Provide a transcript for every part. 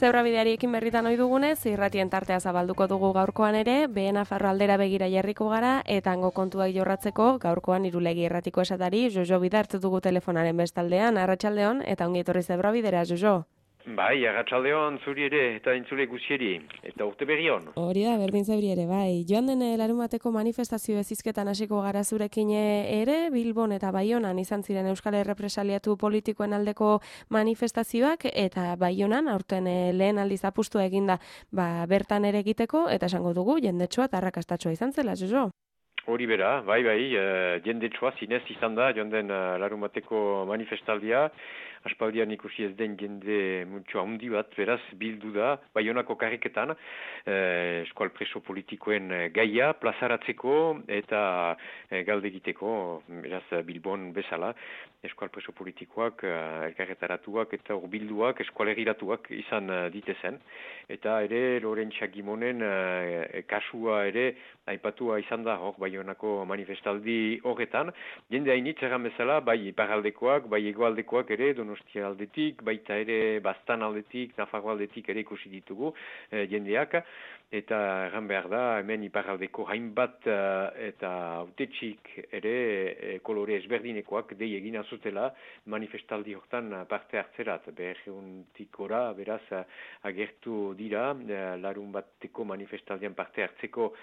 Zebrabideariekin berritan ohi dugunez, irratien tartea zabalduko dugu gaurkoan ere, Nafarro aldera begira jarriko gara, eta hango kontuak jorratzeko gaurkoan Irulegi irratiko esatari, Jojo Bida hartu dugu telefonaren bestaldean, arratsaldeon, eta ongi etorri Zebrabidera, Jojo. Bai, arratsaldeon zuri ere eta entzule guzieri, eta urte berri on. Hori da, berdin zebri ere, bai. Joan den larumateko manifestazio ezizketan hasiko gara zurekin ere, Bilbon eta Baionan izan ziren Euskal Errepresaliatu politikoen aldeko manifestazioak, eta Baionan aurten lehen aldiz apustua eginda bertan ere egiteko, eta esango dugu jendetsua eta arrakastatxoa izan zela, Jojo. Hori bera, bai, jendetsua zinez izan da, joan den larumateko manifestaldia, aspaldian ikusi ez den jende muntxo handi bat, beraz, bildu da, Baionako karriketan, eskual preso politikoen gaia, plazaratzeko eta galde egiteko, beraz, Bilbon bezala, eskual preso politikoak, elkarretaratuak eta urbilduak, eskualerriratuak izan ditezen, eta ere, Lorentza Gimonen kasua ere, aipatua izan da, hor, Baionako manifestaldi horretan, jende hainitz erran bezala, bai iparaldekoak, bai egoaldekoak ere, Donostia aldetik, baita ere Baztan aldetik, Nafarro aldetik ere ikusi ditugu jendeak, eta erran behar da, hemen iparaldeko hainbat eta autetxik ere kolore ezberdinekoak dei egin azutela manifestaldi hortan parte hartzerat. Berreuntikora, beraz, agertu dira, larun bateko manifestaldian parte hartzeko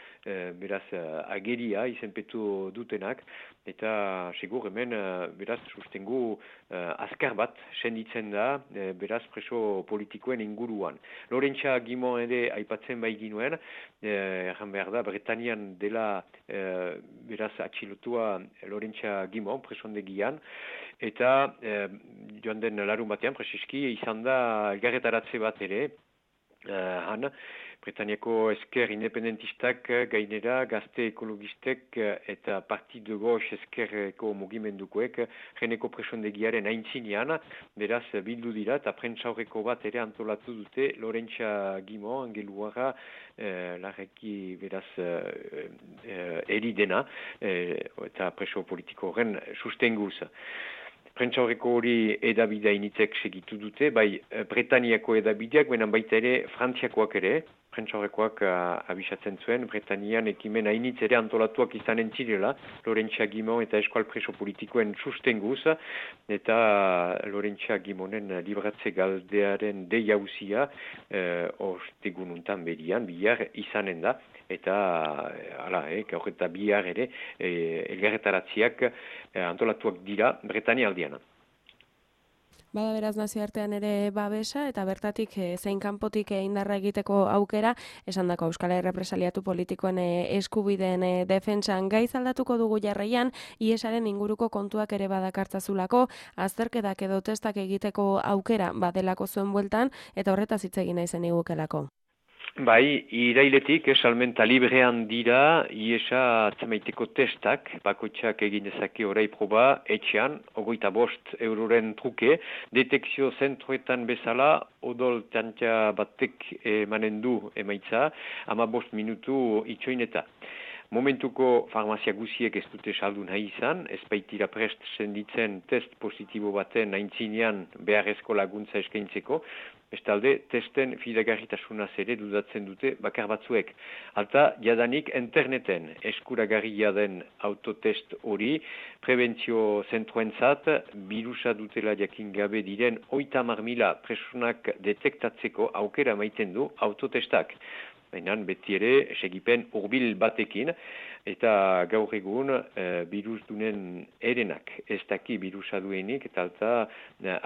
beraz, ageria izenpetu dutenak, eta segur hemen, beraz, sustengu azkar bat senditzen da, beraz, preso politikoen inguruan. Lorentza Gimon ere aipatzen bai ginuen, erran behar da, Bretanian dela, beraz, atxilotua Lorentza Gimon, presondegian, eta joan den larun batean, preseski, izan da elgarretaratze bat ere, han, Bretaniako esker independentistak gainera gazte ekologistek eta Partido Gox eskerreko mugimendukoek jeneko presondegiaren aintzinean, beraz bildu dira eta prentsaurreko bat ere antolatu dute Lorentza Gimon, angeluara larreki beraz eri dena eta preso politiko horren sustenguz. Prentsaurreko hori edabidea initzek segitu dute, bai Bretaniako edabideak, benen baita ere Frantziakoak ere, prentsaurrekoak abisatzen zuen, Bretanian ekimen hainitz ere antolatuak izanen zirela, Lorentza Gimon eta eskual preso politikoen sustenguz, eta Lorentza Gimonen libratze galdearen deiauzia ostegununtan berian, bihar izanen da, eta gaur eta bihar ere elgarretaratziak antolatuak dira Bretania aldiana. Bada beraz nazioartean ere babesa eta bertatik zein kanpotik indarra egiteko aukera, esandako Euskal Errepresaliatu politikoen eskubideen defentsan gaiz aldatuko dugu jarraian, IESaren inguruko kontuak ere badakartzazulako, azterketak edo testak egiteko aukera badelako zuen bueltan, eta horretaz hitz egin naizen igukelako. Bai, irailetik salmenta librean dira IESA atzemaiteko testak, bakoitzak egin dezake orai proba, etxean, 25 euroren truke, detekzio zentroetan bezala, odol tantia batek emanen du emaitza, 15 minutu itxoineta. Momentuko farmazia guziek ez dute saldu nahi izan, ez baitira prest senditzen test positibo baten aintzinean beharrezko laguntza eskaintzeko, bestalde testen fidagarritasunaz ere dudatzen dute bakar batzuek. Alta, jadanik interneten eskuragarria den autotest hori, prebentzio zentroentzat, birusa dutela jakin gabe diren 30.000 presunak detektatzeko aukera maiten du autotestak. Baina beti ere segipen hurbil batekin, eta gaur egun birusdunen erenak ez daki birusa duenik, eta alta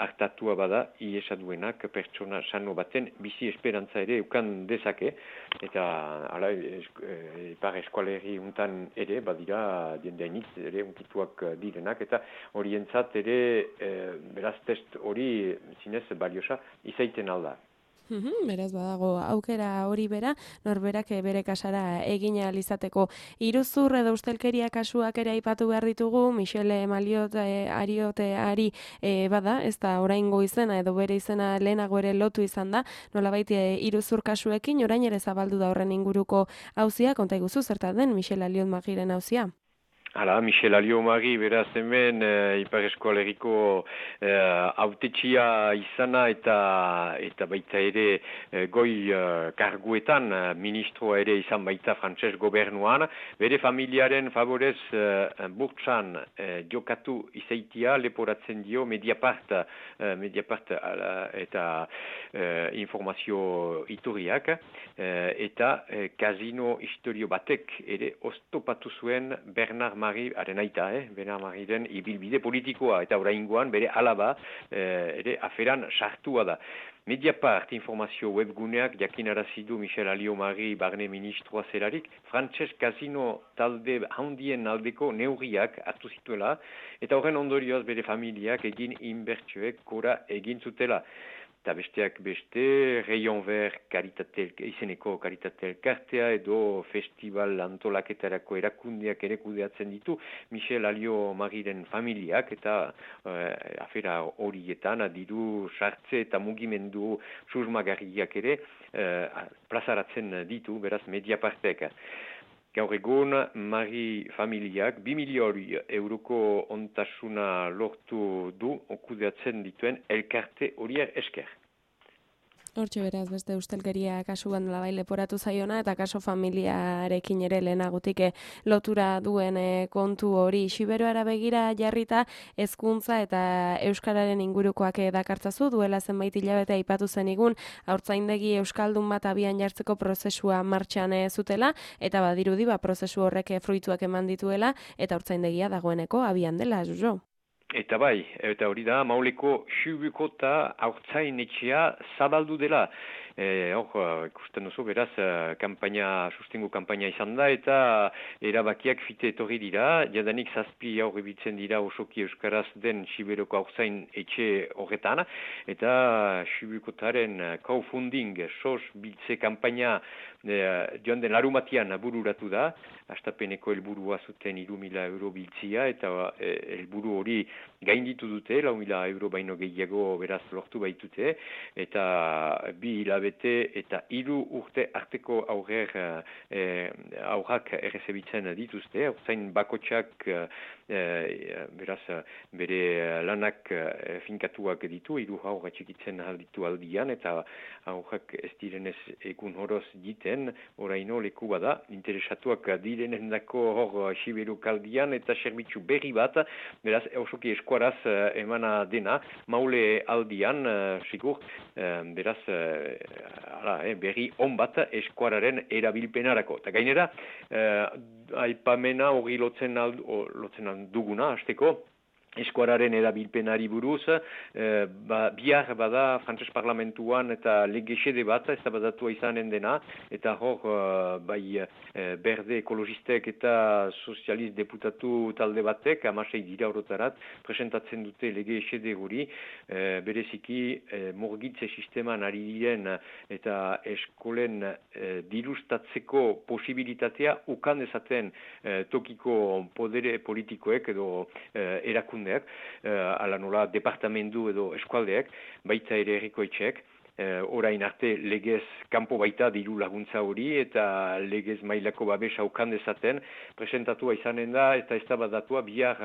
hartatua bada IESa duenak pertsona sano baten bizi esperantza ere ukan dezake, eta ipar eskualerri untan ere badira jendeainitz ere unkituak direnak, eta horientzat ere beraz test hori zinez baliosa izaiten alda. Beraz badago aukera hori bera, norberak bere kasara egin ahal izateko. Iruzur edo ustelkeria kasuak ere aipatu behar ditugu, Michele Maliot Arioteari bada, ez da oraingo izena edo bere izena lehenago ere lotu izan da, nolabait iruzur kasuekin, orain ere zabaldu da horren inguruko auzia, konta iguzu zertan den Michele Aliot Magiren auzia? Hala, Michel Aliomari, beraz hemen, Ipar Eskoaleriko autetxia izana eta baita ere goi karguetan, ministroa ere izan baita frantses gobernuan, bere familiaren favorez burtsan jokatu izaitia leporatzen dio Mediapart eta informazio iturriak, eta kasino historio batek ere oztopatu zuen Bernard Marie, haren aita, Bernard Marieren ibilbide politikoa, eta oraingoan bere alaba ere aferan sartua da. Mediapart informazio webguneak jakinarazi du Michel Aliomari barne ministroa zelarik, frantses kasino talde handien aldeko neurriak hartu zituela, eta horren ondorioz bere familiak egin inbertsioek gora egin zutela. Eta besteak beste, Rayon Vert izeneko Karitate Elkartea edo festival antolaketarako erakundeak ere kudeatzen ditu Michel Aliomariren familiak eta afera horietan diru sartze eta mugimendu susmagarriak ere plazaratzen ditu, beraz Mediapartek. Gaur egun, Mari familiak 2 milioi euroko ontasuna lortu du okudeatzen dituen elkarte horiek esker. Hortxe beraz, beste ustelkeria kasuan labai leporatu zaiona, eta kaso familiarekin ere lehenagutik lotura duen kontu hori. Xiberoara begira jarrita hezkuntza eta euskararen ingurukoak dakartzazu, duela zenbait hilabete aipatu zenigun, haurtzaindegi euskaldun bat abian jartzeko prozesua martxan zutela, eta badirudi prozesu horrek fruituak eman dituela, eta haurtzaindegia dagoeneko abian dela, Jojo. Eta bai, eta hori da, Mauleko Xubukota haurtzainetxea zabaldu dela. Ikusten duzu, beraz, sustengo kanpaina izan da, eta erabakiak fite etorri dira, jadanik 7 haur ibiltzen dira osoki euskaraz den Xiberoko haurtzain etxe horretan, eta Xubukotaren crowdfunding, sos biltze kanpaina joan den larumatian bururatu da, hastapeneko helburua zuten 3.000 euro biltzia, eta helburu hori gainditu dute, 4.000 euro baino gehiago beraz lortu baitute, eta 2 hilabete eta 3 urte arteko aurrak errezebitzen dituzte, zain bakotxak beraz bere lanak finkatuak ditu, 3 aurra txikitzen alditu aldian, eta aurrak ez direnez egun horoz diten, oraino leku bada, interesatuak direnen dako hor Xiberuk aldian, eta serbitzu berri bat, beraz osoki eskuaraz emana dena, maule aldian, sigur, beraz, berri on bat eskuararen erabilpenarako. Eta gainera, aipamena hori lotzen duguna, hasteko, eskuararen erabilpenari buruz, bihar bada frantses parlamentuan eta legexede bat, ez da badatua izanen dena, eta hor, berde ekologistek eta sozialist deputatu talde batek, 16 dira horotarat, presentatzen dute legexede hori, bereziki morgitze sisteman ari diren eta eskolen dirustatzeko posibilitatea ukan dezaten tokiko podere politikoek edo erakundeak, ala nola departamentu edo eskualdeak, baita ere herrikoetxeek, orain arte legez kanpo baita diru laguntza hori eta legez mailako babesa ukan dezaten presentatua izanen da eta eztabaidatua bihar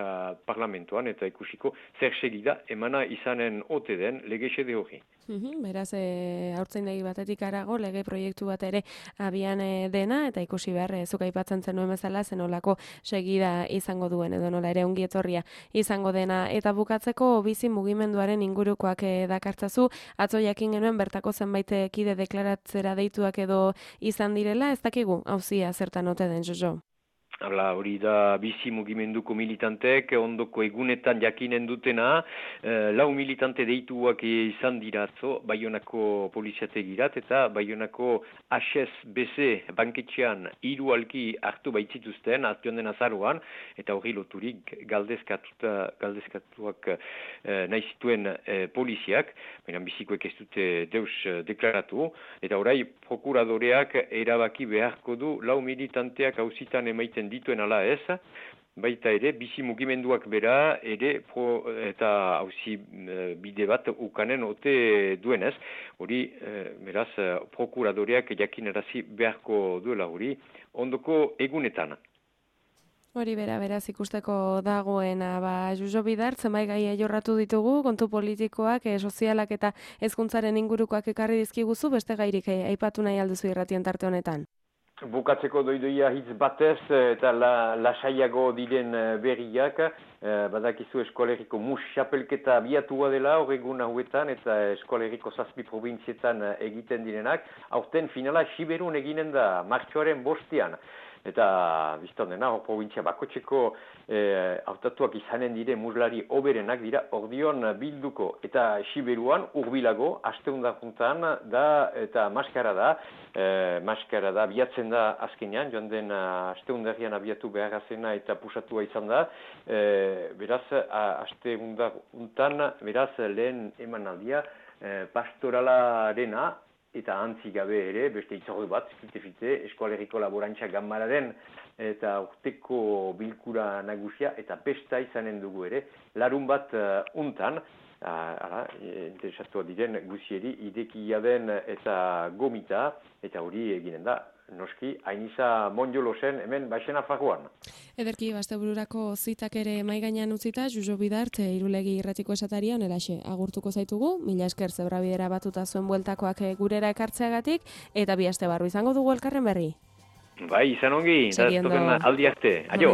parlamentuan eta ikusiko zer segida emana izanen ote den legexede hori. Beraz, haurtzaindegi batetik harago lege proiektu bat ere abian dena, eta ikusi behar, zuk aipatzen zenuen bezala, zenolako segida izango duen, edo nola ere ongi etorria izango dena. Eta bukatzeko bizi mugimenduaren ingurukoak dakartzazu, atzo jakin genuen bertako zenbait kide deklaratzera deituak edo izan direla, ez dakigu, auzia zertan ote den, Jojo? Hori da bizi mugimenduko militantek, ondoko egunetan jakinen dutena, 4 militante deituak izan diratzo, Baionako poliziategirat eta Baionako HSBC banketxean 3 alki hartu baitzituzten, atioan den azaruan, eta hori loturik galdezkatuak nahi zituen poliziak, baina bizikoek ez dute deus deklaratu, eta orai prokuradoreak erabaki beharko du 4 militanteak auzitan emaiten dituen ala ez, baita ere, bizi mugimenduak bera, ere, eta hauzi bide bat ukanen ote duenez, hori, beraz, prokuradoreak jakinarazi beharko duela hori, ondoko egunetan. Hori beraz ikusteko dagoena, Josu Bidart, zenbait gai jorratu ditugu, kontu politikoak, sozialak eta hezkuntzaren ingurukoak ekarri dizkiguzu, beste gairik aipatu nahi alduzu irratien tarte honetan. Bukatzeko doidoia hitz batez eta lasaiago diren berriak, badakizu eskoleriko mus xapelketa abiatua dela horregun hauetan eta eskoleriko 7 provintzietan egiten direnak, aurten finala Siberun eginen da martxoaren 5. Eta biztan dena, hor provintzia bakotxeko hautatuak izanen dire muslari oberenak dira ordion bilduko. Eta Siberuan urbilago, asteundaruntan da eta maskara da, biatzen da azkenean, joan den asteundarrian abiatu beharrazena eta pusatua izan da. Beraz, asteundaruntan, beraz, lehen emanaldia pastoralarena, eta antzi gabe ere, beste itzordu bat, fite, Eskoaleriko Laborantza Ganbararen eta urteko bilkura nagusia eta pesta izanen dugu ere, larun bat untan, interesatu diren guzieri, idekia den eta gomita, eta hori eginen da. Noski, hainiza monjolosen hemen baixena fagoan. Ederki, bastebururako zitak ere maigainan utzita, Josu Bidart, Irulegi irratiko esataria onelaxe agurtuko zaitugu, mila esker zebrabidera batuta zuen bueltakoak gurera ekartzeagatik, eta bi aste barru izango dugu elkarren berri. Bai, izan ongi, aldi arte. Aio!